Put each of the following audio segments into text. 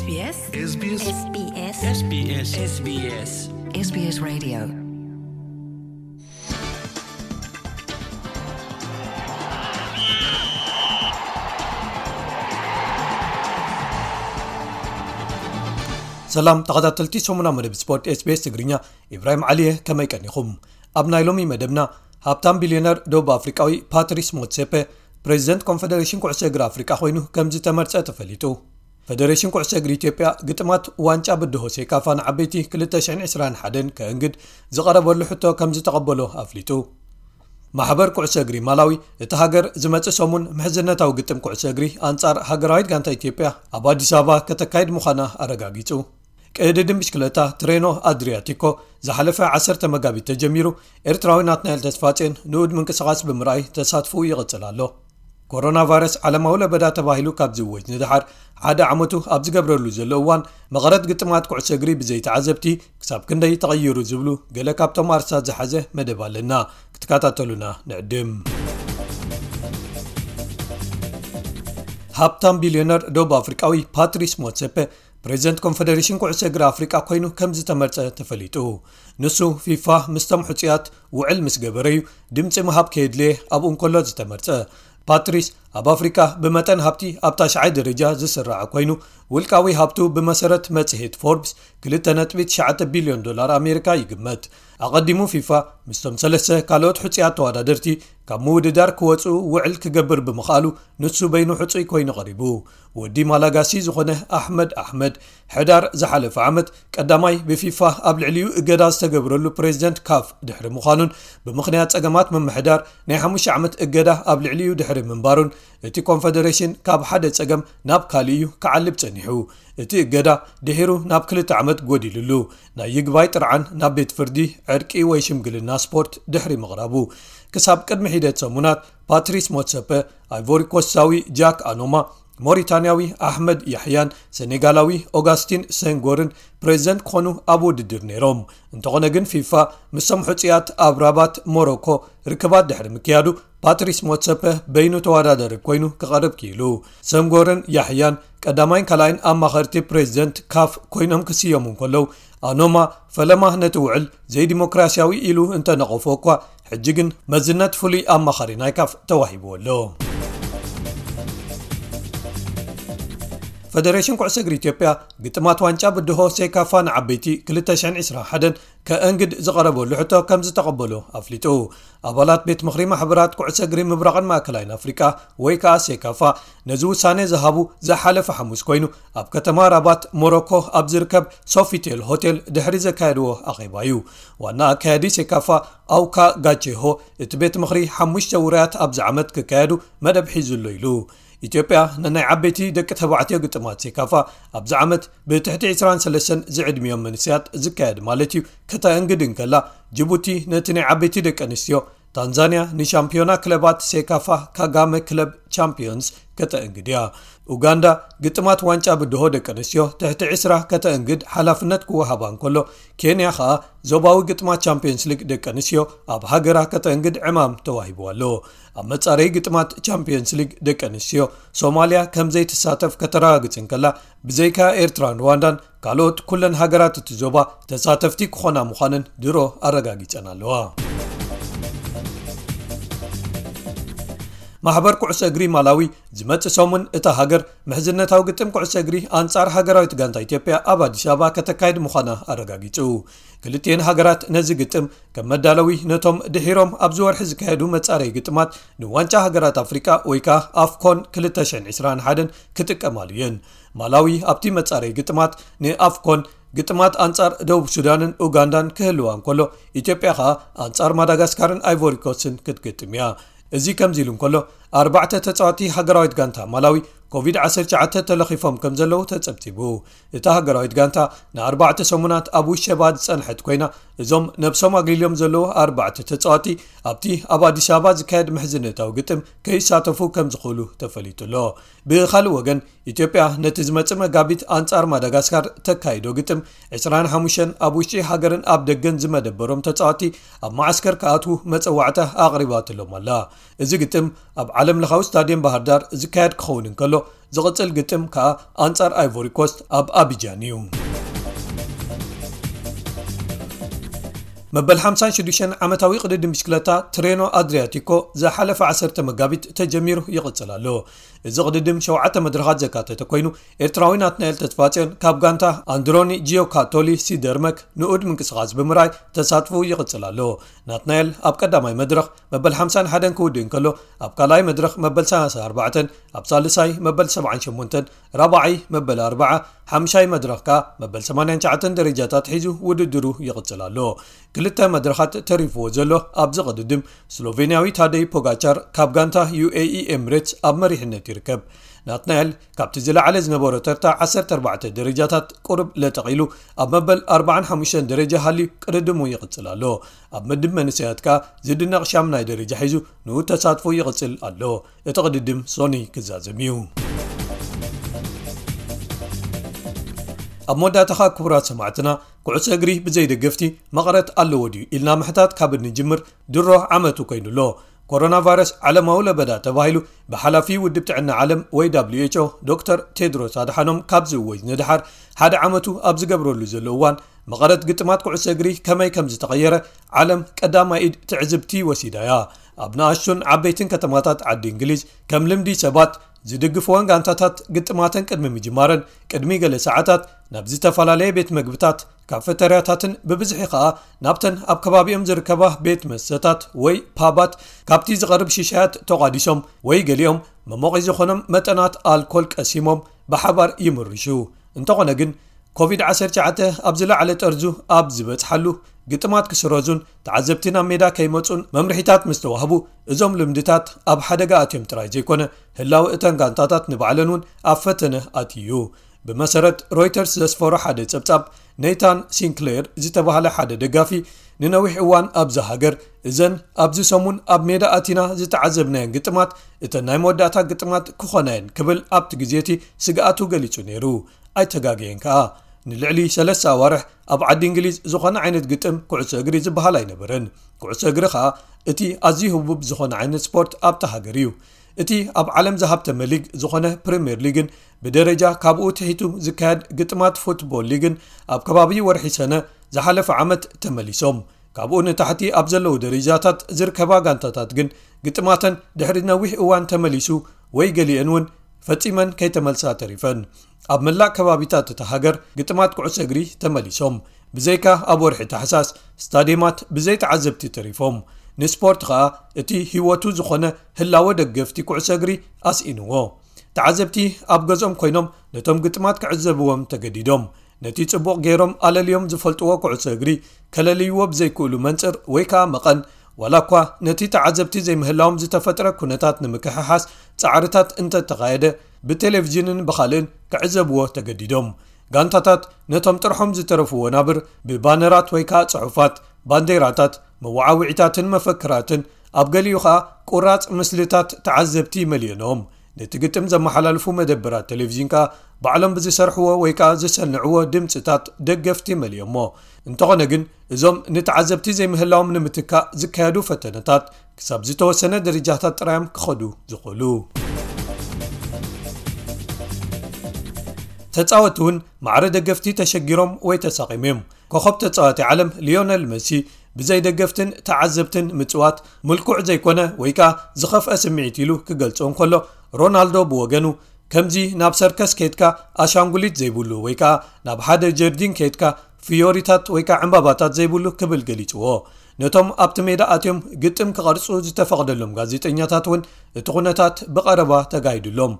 SBS SBS SBS SBS SBS SBS Radio. ሰላም ተኸታተልቲ ሰሙና መደብ ስፖርት SBS ትግርኛ፣ ኢብራሂም ዓሊየ፣ ከመይ ቀኒኹም? ኣብ ናይ ሎሚ መደብና፣ ሃብታም ቢልዮነር ደቡብ ኣፍሪቃዊ ፓትሪስ ሞትሴፐ ፕሬዚደንት ኮንፈደሬሽን ኩዕሶ እግሪ ኣፍሪቃ ኮይኑ ከም ዝተመርጸ ተፈሊጡ። ፈደሬሽን ኩዕሶ እግሪ ኢትዮጵያ ግጥማት ዋንጫ ብድሆ ሴካፋ ንዓበይቲ ክልተ ሽሕን ዕስራን ሓደን ከእንግድ ዝቐረበሉ ሕቶ ከም ዝተቐበሎ ኣፍሊጡ። ማሕበር ኩዕሶ እግሪ ማላዊ፣ እቲ ሃገር ዝመጽእ ሰሙን ምሕዝነታዊ ግጥም ኩዕሶ እግሪ ኣንጻር ሃገራዊት ጋንታ ኢትዮጵያ ኣብ ኣዲስ ኣበባ ከተካይድ ምዃና ኣረጋጊጹ። ቅድድም ብሽክለታ ትሬኖ ኣድሪያቲኮ ዝሓለፈ ዓሰርተ መጋቢት ተጀሚሩ፣ ኤርትራዊ ናትናኤል ተስፋጼን ንኡድ ምንቅስቓስ ብምርኣይ ተሳትፎኡ ይቕጽል ኣሎ። ኮሮና ቫይረስ ዓለማዊ ለበዳ ተባሂሉ ካብ ዝእወጅ ንደሓር ሓደ ዓመቱ ኣብ ዝገብረሉ ዘሎ እዋን፣ መቐረት ግጥማት ኩዕሶ እግሪ ብዘይተዓዘብቲ ክሳብ ክንደይ ተቐይሩ ዝብሉ ገለ ካብቶም ኣርሳት ዝሓዘ መደብ ኣለና። ክትከታተሉና ንዕድም። ሃብታም ቢልዮነር ደቡብ ኣፍሪቃዊ ፓትሪስ ሞትሰፐ ፕሬዚደንት ኮንፈደሬሽን ኩዕሶ እግሪ ኣፍሪቃ ኮይኑ ከም ዝተመርጸ ተፈሊጡ። ንሱ ፊፋ ምስቶም ሕጹያት ውዕል ምስ ገበረዩ ድምጺ ምሃብ ከየድልየ ኣብኡ እንከሎ ዝተመርጸ። ፓትሪስ ኣብ ኣፍሪቃ ብመጠን ሃብቲ ኣብ ታሽዓይ ደረጃ ዝስራዕ ኮይኑ፣ ውልቃዊ ሃብቱ ብመሰረት መጽሔት ፎርብስ ክልተ ነጥቢ ትሽዓተ ቢልዮን ዶላር ኣሜሪካ ይግመት። ኣቐዲሙ ፊፋ ምስቶም ሰለስተ ካልኦት ሕጹያት ተወዳደርቲ ካብ ምውድዳር ክወጹ ውዕል ክገብር ብምኽኣሉ፣ ንሱ በይኑ ሕጹይ ኮይኑ ቀሪቡ። ወዲ ማላጋሲ ዝኾነ ኣሕመድ ኣሕመድ፣ ሕዳር ዝሓለፈ ዓመት ቀዳማይ ብፊፋ ኣብ ልዕሊኡ እገዳ ዝተገብረሉ ፕሬዚደንት ካፍ ድሕሪ ምዃኑን፣ ብምኽንያት ጸገማት ምምሕዳር ናይ ሓሙሽተ ዓመት እገዳ ኣብ ልዕሊኡ ድሕሪ ምንባሩን፣ እቲ ኮንፈደሬሽን ካብ ሓደ ጸገም ናብ ካልእ እዩ ክዓልብ ጸኒሑ። እቲ እገዳ ድሒሩ ናብ ክልተ ዓመት ጎዲሉሉ፣ ናይ ይግባይ ጥርዓን ናብ ቤት ፍርዲ ዕርቂ ወይ ሽምግልና ስፖርት ድሕሪ ምቕራቡ። ክሳብ ቅድሚ ሒደት ሰሙናት፣ ፓትሪስ ሞትሰፐ፣ ኣይቮሪኮስታዊ ጃክ ኣኖማ፣ ሞሪታንያዊ ኣሕመድ ያሕያን ሰኔጋላዊ ኦጋስቲን ሴንጎርን ፕሬዚደንት ክኾኑ ኣብ ውድድር ነይሮም። እንተኾነ ግን፣ ፊፋ ምስቶም ሕጹያት ኣብ ራባት ሞሮኮ ርክባት ድሕሪ ምክያዱ፣ ፓትሪስ ሞትሰፐ በይኑ ተወዳዳሪ ኮይኑ ክቐርብ ክኢሉ። ሴንጎርን ያሕያን ቀዳማይን ካልኣይን ኣማኸርቲ ፕሬዚደንት ካፍ ኮይኖም ክስየሙ እንከለዉ፣ ኣኖማ ፈለማ ነቲ ውዕል ዘይዲሞክራሲያዊ ኢሉ እንተነቐፎ እኳ፣ ሕጂ ግን መዝነት ፍሉይ ኣማኻሪ ናይ ካፍ ተዋሂብዎ ኣሎ። ፈደሬሽን ኩዕሶ እግሪ ኢትዮጵያ ግጥማት ዋንጫ ብድሆ ሴካፋ ንዓበይቲ ክልተ ሽሕን ዕስራን ሓደን ከእንግድ ዝቐረበሉ ሕቶ ከም ዝተቐበሎ ኣፍሊጡ። ኣባላት ቤት ምኽሪ ማሕበራት ኩዕሶ እግሪ ምብራቕን ማእከላይን ኣፍሪቃ ወይ ከኣ ሴካፋ ነዚ ውሳኔ ዝሃቡ ዝሓለፈ ሓሙስ ኮይኑ፣ ኣብ ከተማ ራባት ሞሮኮ ኣብ ዝርከብ ሶፊቴል ሆቴል ድሕሪ ዘካየድዎ ኣኼባ እዩ። ዋና ኣካያዲ ሴካፋ ኣውካ ጋቼሆ፣ እቲ ቤት ምኽሪ ሓሙሽተ ውራያት ኣብዚ ዓመት ክካየዱ መደብ ሒዙ ኣሎ ኢሉ። ኢትዮጵያ ነናይ ዓበይቲ ደቂ ተባዕትዮ ግጥማት ሴካፋ ኣብዚ ዓመት ብትሕቲ ዕስራን ሰለስተን ዝዕድሚኦም መንእሰያት ዝካየድ ማለት እዩ ከተእንግድ እንከላ፣ ጅቡቲ ነቲ ናይ ዓበይቲ ደቂ ኣንስትዮ፣ ታንዛንያ ንሻምፒዮና ክለባት ሴካፋ ካጋመ ክለብ ቻምፒዮንስ ከተእንግድ እያ። ኡጋንዳ ግጥማት ዋንጫ ብድሆ ደቂ ኣንስትዮ ትሕቲ ዕስራ ከተእንግድ ሓላፍነት ክወሃባ እንከሎ፣ ኬንያ ኸኣ ዞባዊ ግጥማት ቻምፒዮንስ ሊግ ደቂ ኣንስትዮ ኣብ ሃገራ ከተእንግድ ዕማም ተዋሂብዋ ኣሎ። ኣብ መጻረዪ ግጥማት ቻምፒዮንስ ሊግ ደቂ ኣንስትዮ፣ ሶማልያ ከም ዘይትሳተፍ ከተረጋግጽ እንከላ፣ ብዘይካ ኤርትራን ሩዋንዳን፣ ካልኦት ኩለን ሃገራት እቲ ዞባ ተሳተፍቲ ክኾና ምዃነን ድሮ ኣረጋጊጸን ኣለዋ። ማሕበር ኩዕሶ እግሪ ማላዊ፣ ዝመጽእ ሰሙን እታ ሃገር ምሕዝነታዊ ግጥም ኩዕሶ እግሪ ኣንጻር ሃገራዊት ጋንታ ኢትዮጵያ ኣብ ኣዲስ ኣበባ ከተካይድ ምዃና ኣረጋጊጹ። ክልቲኤን ሃገራት ነዚ ግጥም ከም መዳለዊ ነቶም ድሒሮም ኣብዚ ወርሒ ዝካየዱ መጻረዪ ግጥማት ንዋንጫ ሃገራት ኣፍሪቃ ወይ ከኣ ኣፍኮን ክልተ ሽሕን ዕስራን ሓደን ክጥቀማሉ እየን። ማላዊ ኣብቲ መጻረዪ ግጥማት ንኣፍኮን ግጥማት ኣንጻር ደቡብ ሱዳንን ኡጋንዳን ክህልዋ እንከሎ፣ ኢትዮጵያ ከኣ ኣንጻር ማዳጋስካርን ኣይቮሪኮስትን ክትግጥም እያ። እዚ ከምዚ ኢሉ እንከሎ፣ ኣርባዕተ ተጻወቲ ሃገራዊት ጋንታ ማላዊ ኮቪድ ዓሰርተ ትሽዓተ ተለኺፎም ከም ዘለዉ ተጸብጺቡ። እታ ሃገራዊት ጋንታ ንኣርባዕተ ሰሙናት ኣብ ውሸባ ዝጸንሐት ኮይና፣ እዞም ነብሶም ኣግሊሎም ዘለዉ ኣርባዕተ ተጻወቲ ኣብቲ ኣብ ኣዲስ ኣበባ ዝካየድ ምሕዝነታዊ ግጥም ከይሳተፉ ከም ዝኽእሉ ተፈሊጡ ኣሎ። ብኻልእ ወገን፣ ኢትዮጵያ ነቲ ዝመጽእ መጋቢት ኣንጻር ማዳጋስካር ተካይዶ ግጥም ዕስራን ሓሙሽተን ኣብ ውሽጢ ሃገርን ኣብ ደገን ዝመደበሮም ተጻወቲ ኣብ መዓስከር ክኣትዉ መጸዋዕታ ኣቕሪባትሎም ኣላ። እዚ ግጥም ኣብ ዓለም ለኻዊ ስታድየም ባህር ዳር ዝካየድ ክኸውን እንከሎ፣ ዝቕጽል ግጥም ከኣ ኣንጻር ኣይቮሪ ኮስት ኣብ ኣቢጃን እዩ። መበል ሓምሳን ሽዱሽተን ዓመታዊ ቅድድም ብሽክለታ ትሬኖ ኣድሪያቲኮ ዝሓለፈ ዓሰርተ መጋቢት ተጀሚሩ ይቕጽል ኣሎ። እዚ ቅድድም ሸውዓተ መድረኻት ዘካተተ ኮይኑ፣ ኤርትራዊ ናትናኤል ተስፋጽዮን ካብ ጋንታ ኣንድሮኒ ጂዮካቶሊ ሲደርመክ ንኡድ ምንቅስቓስ ብምርኣይ ተሳትፎ ይቕጽል ኣሎ። ናትናኤል ኣብ ቀዳማይ መድረኽ መበል ሓምሳን ሓደን ክውድእ እንከሎ፣ ኣብ ካልኣይ መድረኽ መበል ሰላሳን ኣርባዕተን፣ ኣብ ሳልሳይ መበል ሰብዓን ሸሞንተን፣ ራብዓይ መበል ኣርብዓ፣ ሓምሻይ መድረኽ ከኣ መበል ሰማንያን ትሽዓተን ደረጃታት ሒዙ ውድድሩ ይቕጽል ኣሎ። ክልተ መድረኻት ተሪፍዎ ዘሎ ኣብዚ ቅድድም፣ ስሎቬንያዊ ታደይ ፖጋቻር ካብ ጋንታ ዩ ኤ ኢ ኤምሬትስ ኣብ መሪሕነት ይርከብ። ናትናኤል ካብቲ ዝለዓለ ዝነበሮ ተርታ ዓሰርተ ኣርባዕተ ደረጃታት ቁሩብ ለጠቕ ኢሉ ኣብ መበል ኣርባዓን ሓሙሽተን ደረጃ ሃልዩ ቅድድሙ ይቕጽል ኣሎ። ኣብ ምድብ መንእሰያት ከኣ ዝድነቕ ሻምናይ ደረጃ ሒዙ ንኡ ተሳትፎ ይቕጽል ኣሎ። እቲ ቅድድም ሶኒ ክዛዘም እዩ። ኣብ መወዳእታ ከኣ ክቡራት ሰማዕትና፣ ኩዕሶ እግሪ ብዘይ ደገፍቲ መቐረት ኣለዎ ድዩ ኢልና ምሕታት ካብ እንጅምር ድሮ ዓመቱ ኮይኑ ኣሎ። ኮሮና ቫይረስ ዓለማዊ ለበዳ ተባሂሉ ብሓላፊ ውድብ ጥዕና ዓለም ወይ ደብሊው ኤች ኦ ዶክተር ቴድሮስ ኣድሓኖም ካብ ዝእወጅ ንድሓር ሓደ ዓመቱ ኣብ ዝገብረሉ ዘሎ እዋን፣ መቐረት ግጥማት ኩዕሶ እግሪ ከመይ ከም ዝተቐየረ ዓለም ቀዳማይ ኢድ ትዕዝብቲ ወሲዳ እያ። ኣብ ንኣሽቱን ዓበይትን ከተማታት ዓዲ እንግሊዝ ከም ልምዲ ሰባት ዝድግፍወን ጋንታታት ግጥማተን ቅድሚ ምጅማረን ቅድሚ ገለ ሰዓታት ናብ ዝተፈላለየ ቤት መግብታት፣ ካፈተርያታትን ብብዝሒ ከኣ ናብተን ኣብ ከባቢኦም ዝርከባ ቤት መስተታት ወይ ፓባት ካብቲ ዝቐርብ ሽሻያት ተቋዲሶም ወይ ገሊኦም መሞቒ ዝኾኖም መጠናት ኣልኮል ቀሲሞም ብሓባር ይምርሹ። እንተኾነ ግን ኮቪድ ዓሰርተ ትሽዓተ ኣብ ዝለዓለ ጠርዙ ኣብ ዝበጽሓሉ፣ ግጥማት ክስረዙን ተዓዘብቲ ናብ ሜዳ ከይመጹን መምርሒታት ምስ ተዋህቡ፣ እዞም ልምድታት ኣብ ሓደጋ ኣትዮም ጥራይ ዘይኮነ፣ ህላወ እተን ጋንታታት ንባዕለን እውን ኣብ ፈተነ ኣትዩ። ብመሰረት ሮይተርስ ዘስፈሮ ሓደ ጸብጻብ፣ ኔታን ሲንክሌር ዝተባህለ ሓደ ደጋፊ፣ ንነዊሕ እዋን ኣብዛ ሃገር፣ እዘን ኣብዚ ሰሙን ኣብ ሜዳ ኣቲና ዝተዓዘብናየን ግጥማት እተን ናይ መወዳእታ ግጥማት ክኾና እየን ክብል ኣብቲ ግዜ እቲ ስግኣቱ ገሊጹ ነይሩ። ኣይተጋገየን ከኣ። ንልዕሊ ሰለስተ ኣዋርሕ ኣብ ዓዲ እንግሊዝ ዝኾነ ዓይነት ግጥም ኩዕሶ እግሪ ዝበሃል ኣይነበረን። ኩዕሶ እግሪ ከኣ እቲ ኣዝዩ ህቡብ ዝኾነ ዓይነት ስፖርት ኣብታ ሃገር እዩ። እቲ ኣብ ዓለም ዝሃብተመ ሊግ ዝኾነ ፕሪምየር ሊግን ብደረጃ ካብኡ ትሒቱ ዝካየድ ግጥማት ፉትቦል ሊግን ኣብ ከባቢ ወርሒ ሰነ ዝሓለፈ ዓመት ተመሊሶም። ካብኡ ንታሕቲ ኣብ ዘለዉ ደረጃታት ዝርከባ ጋንታታት ግን ግጥማተን ድሕሪ ነዊሕ እዋን ተመሊሱ ወይ ገሊአን እውን ፈጺመን ከይተመልሳ ተሪፈን። ኣብ መላእ ከባቢታት እታ ሃገር ግጥማት ኩዕሶ እግሪ ተመሊሶም። ብዘይካ ኣብ ወርሒ ታሕሳስ ስታድየማት ብዘይ ተዓዘብቲ ተሪፎም። ንስፖርት ኸኣ እቲ ህይወቱ ዝኾነ ህላወ ደገፍቲ ኩዕሶ እግሪ ኣስኢንዎ። ተዓዘብቲ ኣብ ገዝኦም ኮይኖም ነቶም ግጥማት ክዕዘብዎም ተገዲዶም። ነቲ ጽቡቕ ገይሮም ኣለልዮም ዝፈልጥዎ ኩዕሶ እግሪ ከለልይዎ ብዘይክእሉ መንጽር ወይ ከኣ መቐን፣ ዋላ እኳ ነቲ ተዓዘብቲ ዘይምህላዎም ዝተፈጥረ ኩነታት ንምክሕሓስ ጻዕርታት እንተተኻየደ፣ ብቴሌቪዥንን ብኻልእን ክዕዘብዎ ተገዲዶም። ጋንታታት ነቶም ጥርሖም ዝተረፉ ወናብር ብባነራት ወይ ከኣ ጽሑፋት፣ ባንዴራታት፣ መወዓውዒታትን መፈክራትን፣ ኣብ ገሊኡ ከኣ ቁራጽ ምስልታት ተዓዘብቲ መሊኦኖም። ነቲ ግጥም ዘመሓላልፉ መደበራት ቴሌቪዥን ከኣ ባዕሎም ብዝሰርሕዎ ወይ ከኣ ዝሰንዕዎ ድምጽታት ደገፍቲ መሊኦሞ። እንተኾነ ግን፣ እዞም ንተዓዘብቲ ዘይምህላዎም ንምትካእ ዝካየዱ ፈተነታት ክሳብ ዝተወሰነ ደረጃታት ጥራዮም ክኸዱ ዝኽእሉ። ተጻወትቲ እውን ማዕረ ደገፍቲ ተሸጊሮም ወይ ተሳቒሞም እዮም። ኮኸብ ተጻዋቲ ዓለም ሊዮነል መሲ ብዘይ ደገፍትን ተዓዘብትን ምጽዋት ምልኩዕ ዘይኮነ ወይ ከኣ ዝኸፍአ ስምዒት ኢሉ ክገልጾ እንከሎ፣ ሮናልዶ ብወገኑ ከምዚ ናብ ሰርከስ ከይድካ ኣሻንጉሊት ዘይብሉ ወይ ከኣ ናብ ሓደ ጀርዲን ከይድካ ፍዮሪታት ወይ ከኣ ዕምባባታት ዘይብሉ ክብል ገሊጽዎ። ነቶም ኣብቲ ሜዳ ኣትዮም ግጥም ክቐርጹ ዝተፈቕደሎም ጋዜጠኛታት እውን እቲ ኩነታት ብቐረባ ተጋሂዱሎም።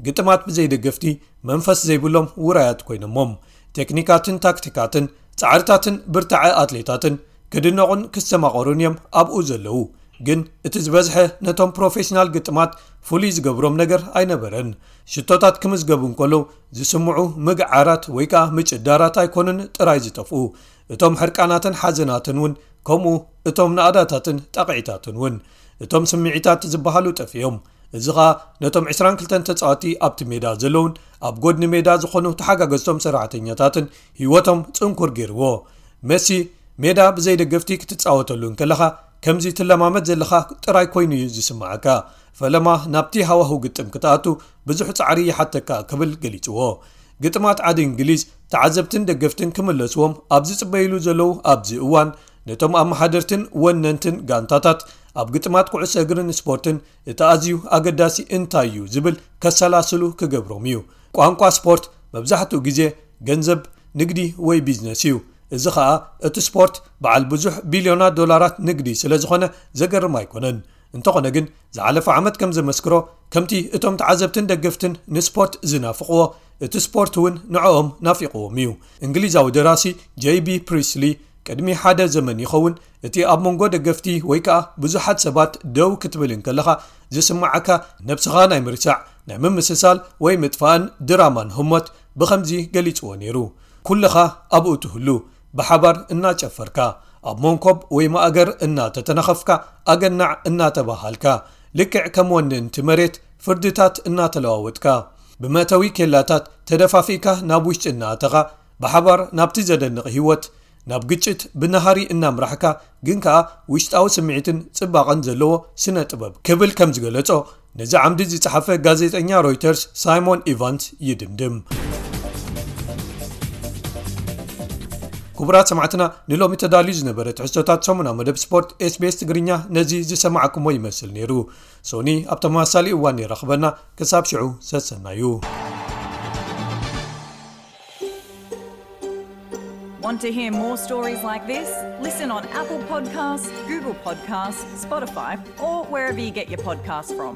ግጥማት ብዘይ ደገፍቲ መንፈስ ዘይብሎም ውራያት ኮይኖሞም። ቴክኒካትን ታክቲካትን፣ ጻዕርታትን ብርታዐ ኣትሌታትን ክድነቑን ክስተማቐሩን እዮም ኣብኡ ዘለዉ። ግን እቲ ዝበዝሐ ነቶም ፕሮፌሽናል ግጥማት ፍሉይ ዝገብሮም ነገር ኣይነበረን። ሽቶታት ክምዝገቡ እንከለዉ ዝስምዑ ምግዓራት ወይ ከኣ ምጭዳራት ኣይኮኑን ጥራይ ዝጠፍኡ። እቶም ሕርቃናትን ሓዘናትን እውን ከምኡ፣ እቶም ናእዳታትን ጣቕዒታትን እውን። እቶም ስምዒታት ዝበሃሉ ጠፊኦም። እዚ ኸኣ ነቶም ዕስራን ክልተን ተጻወቲ ኣብቲ ሜዳ ዘለዉን ኣብ ጎድኒ ሜዳ ዝኾኑ ተሓጋገዝቶም ሰራሕተኛታትን ህይወቶም ጽንኩር ገይርዎ። መሲ፣ ሜዳ ብዘይ ደገፍቲ ክትጻወተሉ እንከለኻ ከምዚ ትለማመድ ዘለኻ ጥራይ ኮይኑ እዩ ዝስምዓካ። ፈለማ ናብቲ ሃዋሁ ግጥም ክትኣቱ ብዙሕ ጻዕሪ ይሓተካ ክብል ገሊጽዎ። ግጥማት ዓዲ እንግሊዝ ተዓዘብትን ደገፍትን ክምለስዎም ኣብ ዝጽበይሉ ዘለዉ ኣብዚ እዋን፣ ነቶም ኣመሓደርትን ወነንትን ጋንታታት ኣብ ግጥማት ኩዕሶ እግርን ስፖርትን እቲ ኣዝዩ ኣገዳሲ እንታይ እዩ ዝብል ከሰላስሉ ክገብሮም እዩ። ቋንቋ ስፖርት መብዛሕትኡ ግዜ ገንዘብ፣ ንግዲ ወይ ቢዝነስ እዩ። እዚ ኸኣ እቲ ስፖርት በዓል ብዙሕ ቢልዮናት ዶላራት ንግዲ ስለ ዝኾነ ዘገርም ኣይኮነን። እንተኾነ ግን ዝሓለፈ ዓመት ከም ዘመስክሮ፣ ከምቲ እቶም ተዓዘብትን ደገፍትን ንስፖርት ዝናፍቕዎ፣ እቲ ስፖርት እውን ንዕኦም ናፊቕዎም እዩ። እንግሊዛዊ ደራሲ ጄይ ቢ ፕሪስሊ ቅድሚ ሓደ ዘመን ይኸውን፣ እቲ ኣብ መንጎ ደገፍቲ ወይ ከኣ ብዙሓት ሰባት ደው ክትብል እንከለኻ ዝስምዓካ ነብስኻ ናይ ምርሳዕ፣ ናይ ምምስሳል ወይ ምጥፋእን ድራማን ህሞት ብኸምዚ ገሊጽዎ ነይሩ። ኩልኻ ኣብኡ ትህሉ፣ ብሓባር እናጨፈርካ፣ ኣብ መንኮብ ወይ ማእገር እናተተነኸፍካ፣ ኣገናዕ እናተባሃልካ፣ ልክዕ ከም ወነንቲ መሬት ፍርድታት እናተለዋወጥካ፣ ብመእተዊ ኬላታት ተደፋፊእካ ናብ ውሽጢ እናኣተኻ፣ ብሓባር ናብቲ ዘደንቕ ህይወት፣ ናብ ግጭት ብናሃሪ እናምራሕካ፣ ግን ከኣ ውሽጣዊ ስምዒትን ጽባቐን ዘለዎ ስነ ጥበብ ክብል ከም ዝገለጾ፣ ነዚ ዓምዲ ዝጸሓፈ ጋዜጠኛ ሮይተርስ ሳይሞን ኢቫንስ ይድምድም። ክቡራት ሰማዕትና፣ ንሎሚ ተዳልዩ ዝነበረ ትሕዝቶታት ሰሙና መደብ ስፖርት ኤስ ቢ ኤስ ትግርኛ ነዚ ዝሰማዕኩሞ ይመስል ነይሩ። ሶኒ ኣብ ተመሳሳሊ እዋን ይራኽበና። ክሳብ ሽዑ ሰሰናዩ። Want to hear more stories like this? Listen on Apple Podcasts, Google Podcasts, Spotify, or wherever you get your podcasts from.